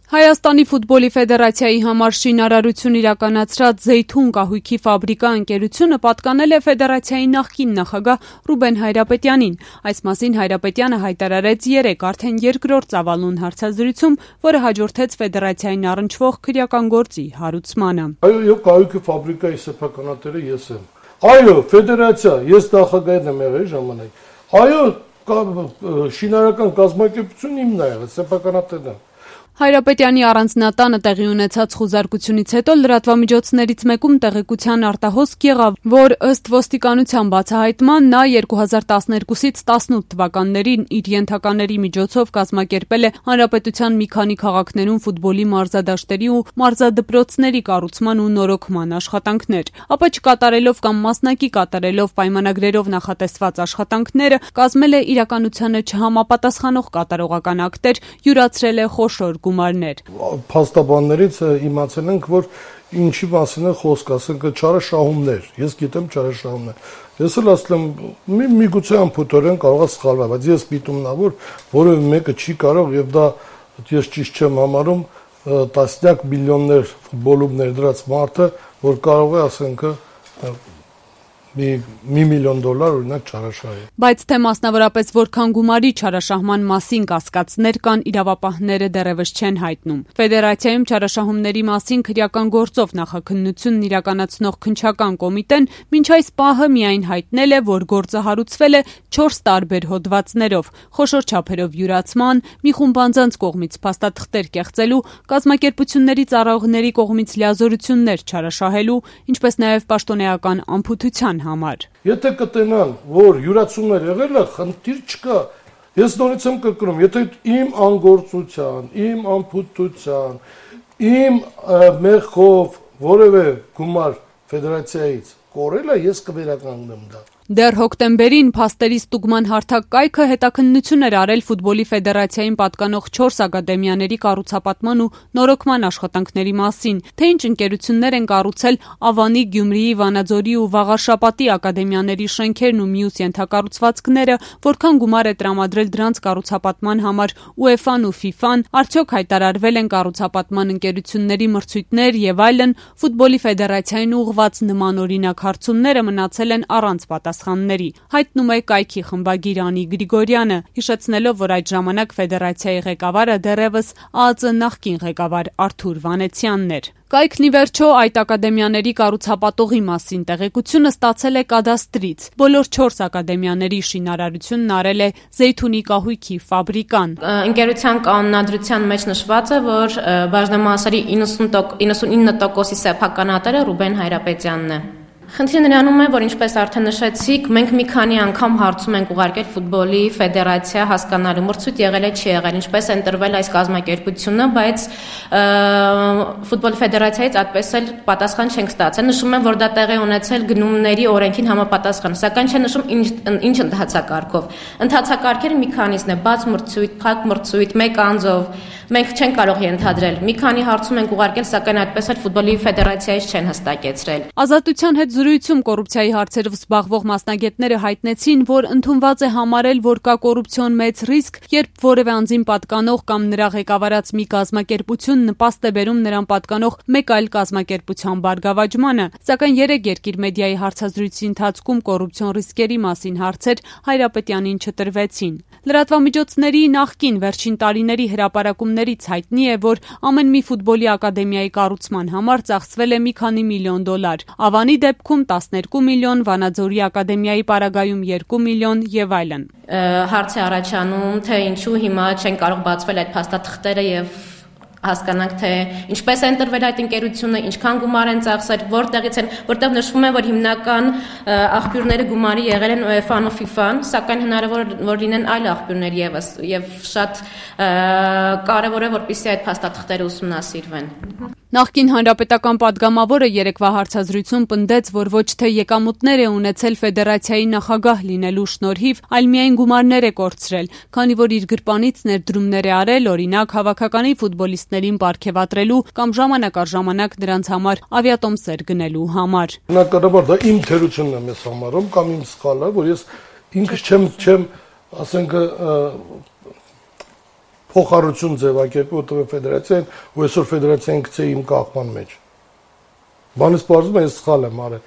Հայաստանի ֆուտբոլի ֆեդերացիայի համար շինարարություն իրականացրած Զեյթուն կահույքի ֆաբրիկա ընկերությունը պատկանել է ֆեդերացիայի նախկին նախագահ Ռուբեն Հայրապետյանին։ Այս մասին Հայրապետյանը հայտարարեց երեկ արդեն երկրորդ ծավալուն հարցազրույցում, որը հաջորդեց ֆեդերացիային առնչվող քրեական գործի հարուցմանը։ Այո, կահույքի ֆաբրիկայի սեփականատերը ես եմ։ Այո, ֆեդերացիա, ես նախագահն եմ եղել ժամանակ։ Այո, շինարարական կազմակերպությունն իմն է եղել, սեփականատերն է։ Հայրապետյանի առանձնատանը տեղի ունեցած խուզարկությունից հետո լրատվամիջոցներից մեկում տեղեկության արտահոսք եղավ, որ ըստ ոստիկանության բացահայտման նա 2012-ից 18 թվականներին իր ենթակաների միջոցով կազմակերպել է հանրապետության մի քանի քաղաքներում ֆուտբոլի մարզադաշտերի ու մարզադպրոցների կառուցման ու նորոգման աշխատանքներ, ապա չկատարելով կամ մասնակի կատարելով պայմանագրերով նախատեսված աշխատանքները, կազմել է իրականությանը չհամապատասխանող կատարողական ակտեր, յուրացրել է խոշոր գումարներ։ Փաստաբաններից իմացել ենք, որ ինչի մասին է խոսք, ասենք չարաշահումներ։ Ես գիտեմ չարաշահումներ։ Ես էլ ասել եմ, միգուցե ամփոփորեն կարող է սխալվել, բայց ես միտումնավոր որևէ մեկը չի կարող եւ դա ես ճիշտ չեմ համարում տասնյակ միլիոններ ֆուտբոլում ներդրած մարդը, որ կարող է ասենք $1 միլիոն օրինակ չարաշահի։ Բայց թե մասնավորապես որքան գումարի չարաշահման մասին կասկածներ կան, իրավապահները դեռևս չեն հայտնում։ Ֆեդերացիայում չարաշահումների մասին քրեական գործով նախաքննությունն իրականացնող քննչական կոմիտեն մինչ այս պահը միայն հայտնել է, որ գործը հարուցվել է 4 տարբեր հոդվածներով՝ խոշոր չափերով յուրացման, մի խումբ անձանց կողմից փաստաթղթեր կեղծելու, կազմակերպությունների ծառայողների կողմից լիազորություններ չարաշահելու, ինչպես նաև պաշտոնեական անփութության համար։ Եթե կտենան, որ յուրացումներ եղել է, խնդիր չկա։ Ես նորից եմ կրկնում, եթե իմ անգործության, իմ անփութության, իմ մեղքով որևէ գումար ֆեդերացիայից կորել է, ես կվերականգնեմ դա։ Դեռ հոկտեմբերին փաստերի ստուգման հարթակ կայքը հետաքննություն էր արել ֆուտբոլի ֆեդերացիային պատկանող 4 ակադեմիաների կառուցապատման ու նորոգման աշխատանքների մասին, թե ինչ ընկերություններ են կառուցել Ավանի, Գյումրիի, Վանաձորի ու Վաղարշապատի ակադեմիաների շենքերն ու մյուս ենթակառուցվածքները, որքան գումար է տրամադրել դրանց կառուցապատման համար UEFA-ն ու FIFA-ն, արդյոք հայտարարվել են կառուցապատման ընկերությունների մրցույթներ եւ այլն, ֆուտբոլի ֆեդերացիային ուղղված նմանօրինակ հարցումները մնացել են առանց պատասխանների, հայտնում է կայքի խմբագիր Անի Գրիգորյանը, հիշեցնելով, որ այդ ժամանակ ֆեդերացիայի ղեկավարը դեռևս ԱԱԾ նախկին ղեկավար Արթուր Վանեցյանն էր։ Կայքն ի վերջո այդ ակադեմիաների կառուցապատողի մասին տեղեկությունը ստացել է կադաստրից։ Բոլոր 4 ակադեմիաների շինարարությունն արել է Զեյթունի կահույքի ֆաբրիկան։ Ընկերության կանոնադրության մեջ նշված է, որ բաժնեմասերի 99%-ի սեփականատերը Ռուբեն Հայրապետյանն է։ Խնդիրը նրանում է, որ ինչպես արդեն նշեցիք, մենք մի քանի անգամ հարցում ենք ուղարկել ֆուտբոլի ֆեդերացիա հասկանալու մրցույթ եղել է չի եղել, ինչպես են տրվել այս կազմակերպությունը, բայց ֆուտբոլի ֆեդերացիայից այդպես էլ պատասխան չենք ստացել։ Նշում են, որ դա տեղի ունեցել գնումների օրենքին համապատասխան, սակայն չեն նշում ինչ ընթացակարգով։ Ընթացակարգերը մի քանիսն է՝ բաց մրցույթ, փակ մրցույթ, մեկ անձով։ Մենք չենք կարող ենթադրել։ Մի քանի հարցում ենք ուղարկել, սակայն այդպես էլ ֆուտբոլի ֆեդերացիայից չեն հստակեցրել։ Ազատության հետ զրույցում կոռուպցիայի հարցերով զբաղվող մասնագետները հայտնեցին, որ ընդունված է համարել, որ կա կոռուպցիոն մեծ ռիսկ, երբ որևէ անձին պատկանող կամ նրա ղեկավարած մի կազմակերպություն նպաստ է բերում նրան պատկանող մեկ այլ կազմակերպության բարգավաճմանը, սակայն երեք երկիր մեդիայի հարցազրույցի ընթացքում կոռուպցիոն ռիսկերի մասին հարցեր Հայրապետյանին չտրվեցին։ Լրատվամիջոցների նախկին վերջին տարիների հրապարակումներից հայտնի է, որ ամեն մի ֆուտբոլի ակադեմիայի կառուցման համար ծախսվել է մի քանի միլիոն $։ Ավանի դեպքում 12 միլիոն, Վանաձորի ակադեմիայի պարագայում 2 միլիոն եւ այլն։ Հարց է առաջանում, թե ինչու հիմա չեն կարող բացվել այդ փաստաթղթերը եւ հասկանանք, թե ինչպես են տրվել այդ ընկերությունը, ինչքան գումար են ծախսել, որտեղից են, որտեղ նշվում է, որ հիմնական աղբյուրները գումարի եղել են UEFA-ն ու FIFA-ն, սակայն հնարավոր որ լինեն այլ աղբյուրներ եւս եւ շատ կարեւոր է, որպեսզի այդ փաստաթղթերը ուսումնասիրվեն։ Նախկին հանրապետական падգամավորը երեկվա հարցազրույցում պնդեց, որ ոչ թե եկամուտներ է ունեցել ֆեդերացիայի նախագահ լինելու շնորհիվ, այլ միայն գումարներ է կորցրել, քանի որ իր գրպանից ներդրումներ է արել, օրինակ հավաքականի ֆուտբոլիստներին պարգևատրելու կամ ժամանակ առ ժամանակ նրանց համար ավիատոմսեր գնելու համար։ Բնականաբար դա իմ թերությունն եմ ես համարում կամ իմ սխալը, որ ես ինքս չեմ ասենք փոխառություն ձևակերպի Ոթվ ֆեդերացիան ու այսօր ֆեդերացիան գցե իմ կաղման մեջ։ Բանից բարձում է ես սխալ եմ արել։